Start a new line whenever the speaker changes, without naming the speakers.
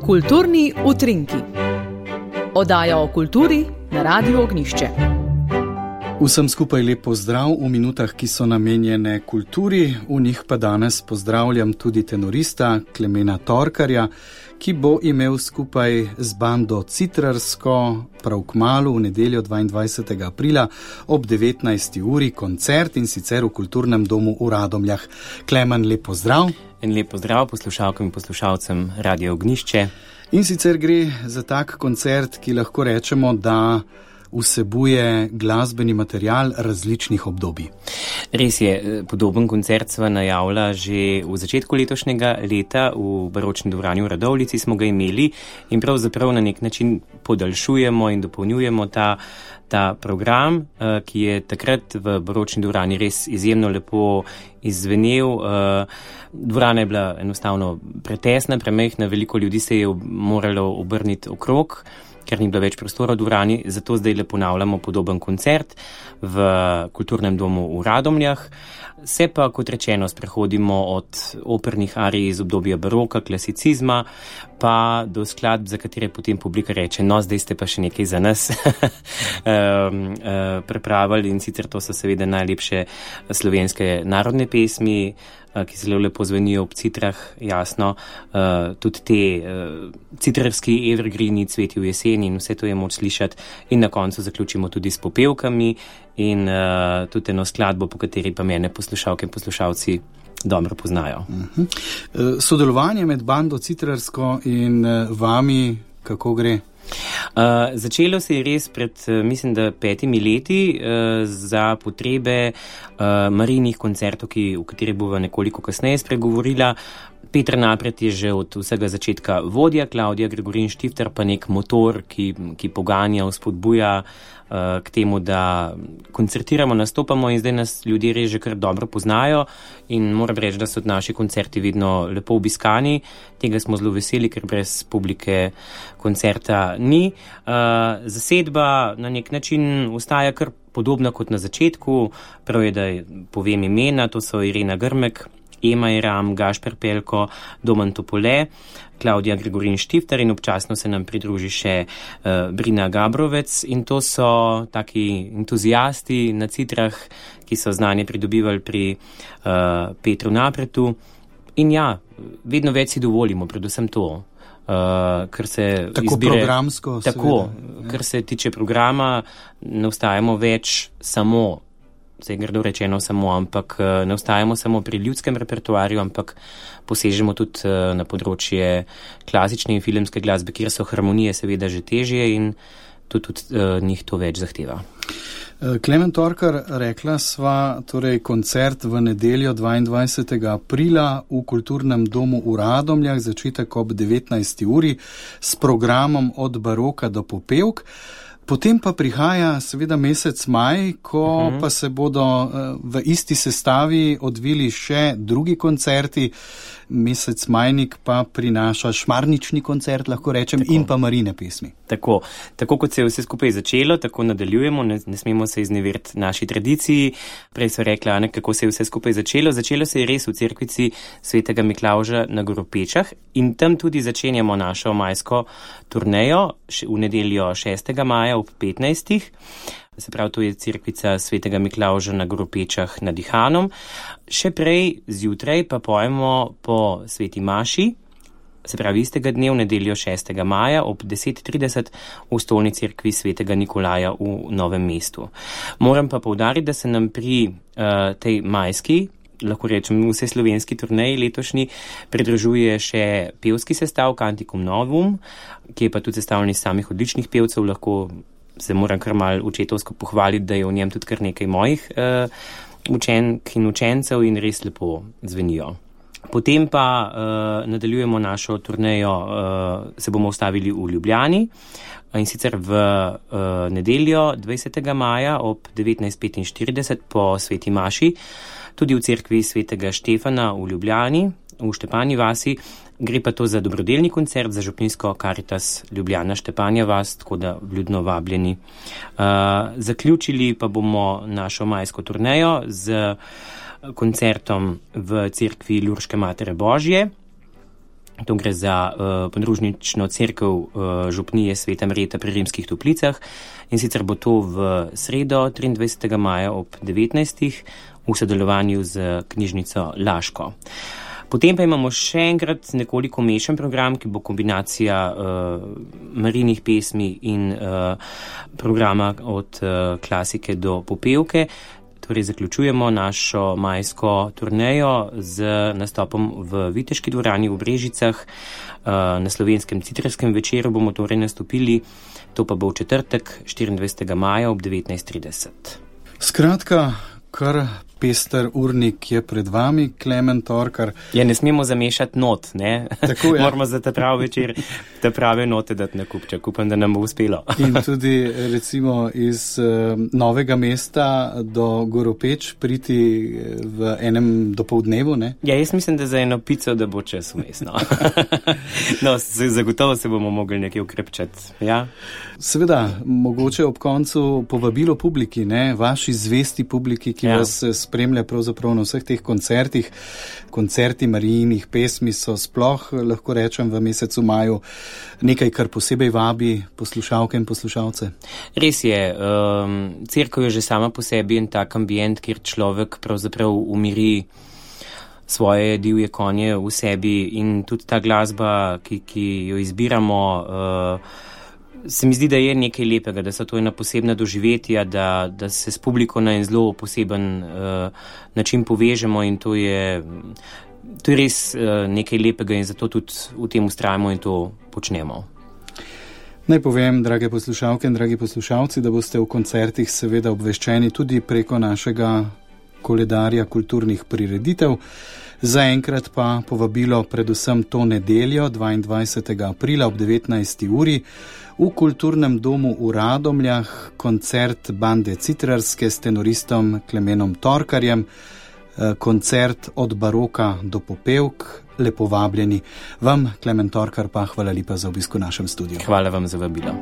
Kulturni utrinki. Oddaja o kulturi na Radiu Ognjišče.
Vsem skupaj lep pozdrav v minutah, ki so namenjene kulturi. V njih pa danes pozdravljam tudi tenorista Klemena Torkarja, ki bo imel skupaj z bando Citrarsko prav kmalu v nedeljo 22. aprila ob 19. uri koncert, in sicer v Kulturnem domu v Radomljah. Klemen, lep pozdrav.
En lep pozdrav poslušalkam in poslušalcem Radia Ognjišče. In
sicer gre za tak koncert, ki lahko rečemo, da vsebuje glasbeni material različnih obdobij.
Res je, podoben koncert sva najavila že v začetku letošnjega leta v Baročni dvorani v Radovljici smo ga imeli in pravzaprav na nek način podaljšujemo in dopolnjujemo ta program, ki je takrat v Baročni dvorani res izjemno lepo izzvenel. Dvorana je bila enostavno pretesna, premajhna, veliko ljudi se je moralo obrniti okrog, ker ni bilo več prostora v dvorani, zato zdaj le ponavljamo podoben koncert v Kulturnem domu v Radomljah. Se pa, kot rečeno, sprehodimo od opernih arij iz obdobja baroka, klasicizma, pa do skladb, za katere potem publika reče, no, zdaj ste pa še nekaj za nas pripravili, in sicer to so seveda najlepše slovenske narodne pesmi, ki zelo lepo zvenijo ob citrah, jasno, tudi te citrarski evergreeni, cveti v jeseni, in vse to je moč slišati, in na koncu zaključimo tudi s popevkami in tudi eno skladbo, po kateri pa mene poslušalke in poslušalci dobro poznajo.
Sodelovanje med bando Citrarsko in vami, kako gre?
Začelo se je res pred, mislim, da 5 leti za potrebe Marijinih koncertov, o katerih bova nekoliko kasneje spregovorila. Peter Napret je že od vsega začetka vodja, Klaudija Gregorin Štifter pa nek motor, ki poganja, vzpodbuja k temu, da koncertiramo, nastopamo, in zdaj nas ljudje res že kar dobro poznajo in moram reči, da so naši koncerti vedno lepo obiskani. Tega smo zelo veseli, ker brez publike koncerta ni. Zasedba na nek način ostaja kar podobna kot na začetku. Prav je, da povem imena, to so Irena Grmek, Ema Iram, Gašper Pelko, Domen Topole, Klaudija Gregorin Štifter in občasno se nam pridruži še Brina Gabrovec, in to so taki entuzijasti na citrah, ki so znanje pridobivali pri Petru Napretu. In ja, vedno več si dovolimo, predvsem to. Kar se
tako
izbire,
programsko.
Tako,
seveda,
kar se tiče programa, ne ostajamo več samo, zdaj grdo rečeno samo, ampak ne ostajamo samo pri ljudskem repertoarju, ampak posežemo tudi na področje klasične in filmske glasbe, kjer so harmonije seveda že težje in tudi njih to več zahteva.
Klemen Torkar, rekla sva, torej koncert v nedeljo 22. aprila v Kulturnem domu v Radomljah, začetek ob 19. uri s programom od baroka do popevk. Potem pa prihaja seveda mesec maj, ko pa se bodo v isti sestavi odvili še drugi koncerti. Mesec majnik pa prinaša šmarnični koncert, lahko rečem, tako, in pa Marine pesmi.
Tako kot se je vse skupaj začelo, tako nadaljujemo, ne smemo se izneveriti naši tradiciji. Prej so rekla, kako se je vse skupaj začelo. Začelo se je res v cerkvici Svetega Miklavža na Goropečah in tam tudi začenjamo našo majsko turnejo v nedeljo 6. maja ob 15. Se pravi, to je cerkvica Svetega Miklavža na Goropečah nad Dihanom. Še prej, zjutraj, pa pojemo po Sveti Maši, se pravi istega dne v nedeljo 6. maja ob 10:30 v stolni cerkvi Svetega Nikolaja v Novem mestu. Moram pa poudariti, da se nam pri tej majski, lahko rečem vse slovenski turneji letošnji, pridružuje še pevski sestav Canticum Novum, ki je pa tudi sestavljen iz samih odličnih pevcev. Lahko se moram kar malo očetovsko pohvaliti, da je v njem tudi kar nekaj mojih učenk in učencev in res lepo zvenijo. Potem pa nadaljujemo našo turnejo, se bomo ustavili v Ljubljani, in sicer v nedeljo 20. maja ob 19:45 po Sveti Maši, tudi v cerkvi Svetega Štefana v Ljubljani, v Štepani vasi. Gre pa to za dobrodelni koncert za župnijsko Karitas Ljubljana Štepanja vas, tako da vljudno vabljeni. Zaključili pa bomo našo majsko turnejo z koncertom v cerkvi Lurške Matere Božje To gre za podružnično cerkev župnije Sveta Marjeta pri Rimskih Toplicah in sicer bo to v sredo 23. maja ob 19. v sodelovanju z knjižnico Laško. Potem pa imamo še enkrat nekoliko mešan program, ki bo kombinacija Marijinih pesmi in programa od klasike do popevke. Torej zaključujemo našo majsko turnejo z nastopom v Viteški dvorani v Brežicah. Na slovenskem citrskem večeru bomo torej nastopili, to pa bo v četrtek 24. maja ob 19:30.
Skratka, kar pester urnik je pred vami, Klemen Torkar.
Ja, ne smemo zamešati not, ne?
Tako je.
Moramo za ta prav večer te prave note dati na kupček. Upam, da nam bo uspelo.
In tudi recimo iz Novega Mesta do Goropeč priti v enem dopoldnevu, ne?
Ja, jaz mislim, da za eno pico, da bo čas vmes, no. No, zagotovo se bomo mogli nekaj ukrepčati, ja.
Seveda, mogoče ob koncu povabilo publiki, ne? Vaši zvesti publiki, ki vas spremlja pravzaprav na vseh teh koncertih. Koncerti Marijinih pesmi so sploh, lahko rečem, v mesecu maju nekaj, kar posebej vabi poslušalke in poslušalce.
Res je, cerkev je že sama po sebi en tak ambient, kjer človek pravzaprav umiri svoje divje konje v sebi in tudi ta glasba, ki jo izbiramo, se mi zdi, da je nekaj lepega, da so to ena posebna doživetja, da se s publiko na en zelo poseben način povežemo in to je res nekaj lepega in zato tudi v tem vztrajamo in to počnemo.
Naj povem, drage poslušalke in dragi poslušalci, da boste v koncertih seveda obveščeni tudi preko našega koledarja kulturnih prireditev. Zaenkrat pa povabilo predvsem to nedeljo, 22. aprila ob 19. uri v Kulturnem domu v Radomljah, koncert bande Citrarske s tenoristom Klemenom Torkarjem, koncert od baroka do popevk. Lepo vabljeni. Vam, Klemen Torkar, pa hvala lepa za obisk v našem studiu.
Hvala vam za vabilo.